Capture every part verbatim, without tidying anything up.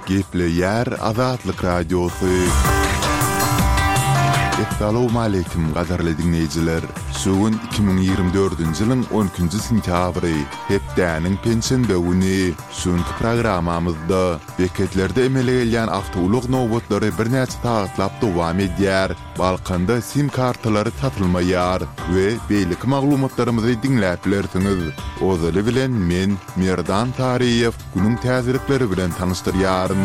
Gepleýär Azatlyk Radiosy. Essalawmaleýkim gadyrly diňleýjiler! Şu gün iki müň ýigrimi dördünji ýylyň on ikinji sentýabry, hepdäniň penşenbe güni. Şu günki programmamyzda beketlerde emele gelýän awtoulag nobatlary birnäçe sagatlap dowam edýär, Balkanda sim kartalary satylmaýar we beýleki maglumatlarymyzy diňläp bilersiňiz. Ozaly bilen men, Merdan Taryýew, günüň täzelikleri bilen tanyşdyrýaryn.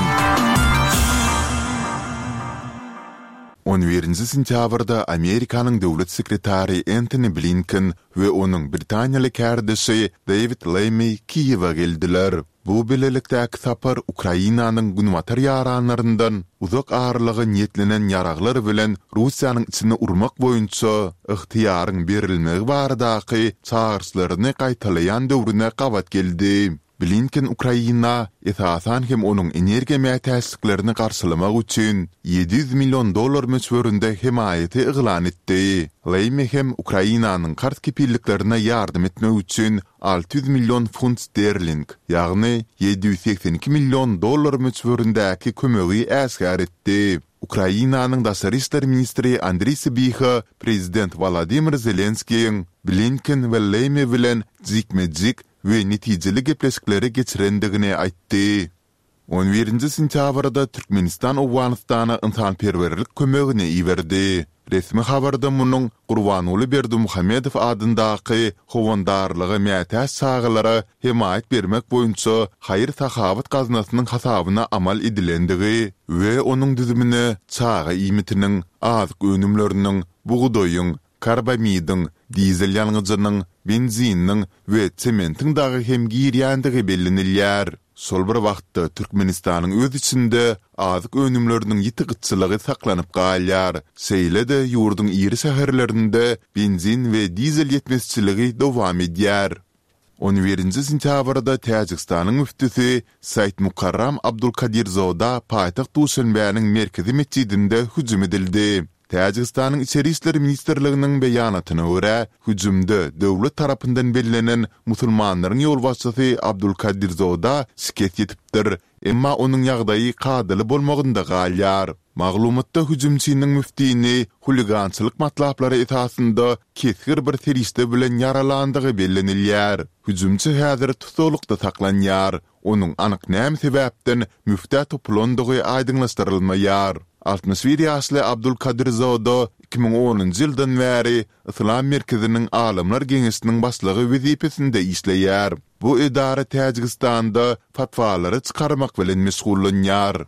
On birinji sentýabrda Amerikanyň döwlet sekretary Entoni Blinken we onuň britaniýaly kärdeşi Dewid Lemmi Kiýewe geldiler. Bu bilelikdäki sapar Ukrainanyň günbatar ýaranlaryndan uzak aralyga niýetlenen ýaraglar bilen Russiýanyň içine urmak boýunça ygtyýaryň berilmegi baradaky çagyryşlaryny gaýtalaýan döwrüne gabat geldi. Blinken Ukraina, esasan hem onuň energiýa mätäçliklerini garşylamak üçin ýedi ýüz million dollar möçberinde hemaýaty yglan etdi. Lammy hem Ukrainanyň karz kepilliklerine ýardam etmek üçin alty ýüz million funt sterling, ýagny ýedi ýüz segsen iki million dollar möçberindäki kömegi äşgär etdi. Ukrainanyň daşary işler ministri Andriý Sybiha prezident Wolodymyr Zelenskiýiň Blinken we Lemmi bilen jikme-jik we netijeli gepleşikleri geçirendigini aýtdy. On birinji sentýabrda Türkmenistan Owganystana ynsanperwerlik kömegini iberdi. Resmi habarda munuň Gurbanguly Berdimuhamedow adyndaky Howandarlyga mätäç çagalara hemaýat bermek boýunça haýyr-sahawat gaznasynyň hasabyna amal edilendigi we onuň düzümine çaga iýmitiniň, azyk önümleriniň, bugdaýyň, karbamidiň, dizel ýangyjynyň, benzininiň we sementiň dagy hem girýändigi bellenilýär. Şol bir wagtda, Türkmenistanyň öz içinde azyk önümleriniň ýiti gytçylygy saklanyp galýar. Şeýle-de, ýurduň iri şäherlerinde benzin we dizel ýetmezçiligi dowam edýär. On birinji sentýabrda Täjigistanyň müftüsi Saidmukarram Abdulkadirzoda paýtagt Duşenbäniň merkezi metjidinde hüjüm edildi. Täjigistanyň Içeri işler ministrliginiň beýanatyna görä, hüjümde döwlet tarapyndan bellenen musulmanlaryň ýolbaşçysy Abdulkadirzoda şikes ýetipdir, emma onuň ýagdaýy kadaly bolmagynda galýar. Maglumatda hüjümçiniň müftini huligançylyk matlaplary esasynda kesgir bir serişde bilen ýaralandygy bellenilýär. Hüjümçi häzir tussaglykda saklanýar. Onuň anyk näme sebäpden müftä topulandygy aýdyňlaşdyrylmaýar. Altmyş bir ýaşly Abdulkadirzoda iki müň onunjy ýyldan bäri Yslam merkeziniň Alymlar geňeşiniň başlygy wezipesinde işleýär. Bu edara Täjigistanda fatwalary çykarmak bilen meşgullanýar.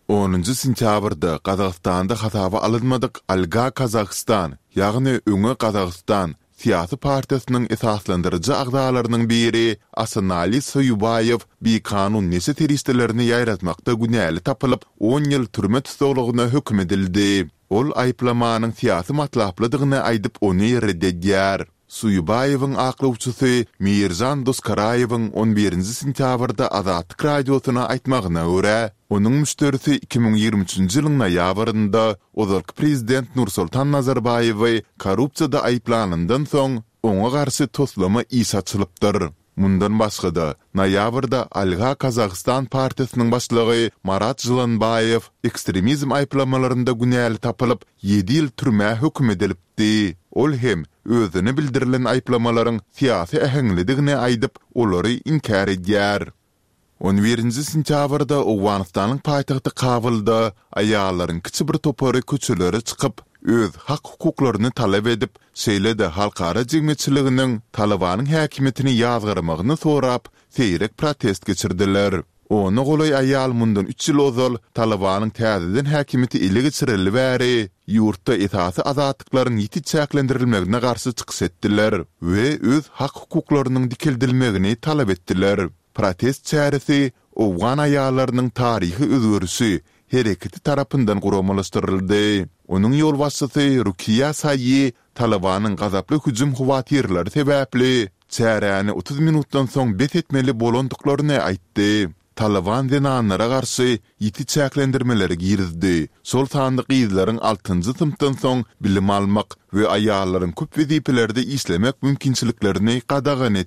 Onunjy sentýabrda Gazagystanda hasaba alynmadyk Alga Kazahstan, ýagny Öňe Gazagystan syýasy partiýasynyň esaslandyryjy agzalarynyň biri Asanali Soýubaýew bikanun neşe serişdelerini ýaýratmakda günäli tapylyp, on ýyl türme tussaglygyna höküm edildi. Ol aýyplamanyň syýasy matlaplydygyny aýdyp, ony ret edýär. Suýubaýewiň aklawçysy Meýirjan Doskaraýewiň on birinji sentýabrda Azatlyk Radiosyna aýtmagyna görä, onuň müşderisi iki müň ýigrimi üçünji ýylyň noýabrynda ozalky prezident Nursultan Nazarbaýewi korrupsiýada aýyplanyndan soň, oňa garşy toslama iş açylypdyr. Mundan başga-da, noýabrda Alga Kazahstan partiýasynyň başlygy Marat Žylanbaýew ekstremizm aýyplamalarynda günäli tapylyp, ýedi ýyl türmä höküm edilipdi. Ol hem özüne bildirilen aýyplamalaryň syýasy äheňlidigini aýdyp, olary inkär edýär. On birinji sentýabrda Owganystanyň paýtagty Kabulda aýallaryň kiçi bir topary köçelere çykyp, öz hak-hukuklaryny talap edip, şeýle-de halkara jemgyýetçiliginiň Talybanyň häkimiýetini ýazgarmagyny sorap, seýrek protest geçirdiler. Ona golaý aýal mundan üç ýyl ozal Talybanyň täzeden häkimiýeti ele geçireli bäri ýurtda esasy azatlyklaryň ýiti çäklendirilmegine garşy çykyş etdiler we öz hak-hukuklarynyň dikeldilmegini talap etdiler. Protest çäresi Owgan aýallarynyň taryhy özgerişi hereketi tarapyndan guramalaşdyryldy. Onuň ýolbaşçysy Rukiýa Saýi Talybanyň gazaply hüjüm howatyrlary sebäpli çäräni otuz minutdan soň bes etmeli bolandyklaryny aýtdy. Talyban zenanlara garşy ýiti çäklendirmeleri girizdi, şol sanda gyzlaryň altynjy synpdan soň bilim almak we aýallaryň köp wezipelerde işlemek mümkinçiliklerini gadagan etdi.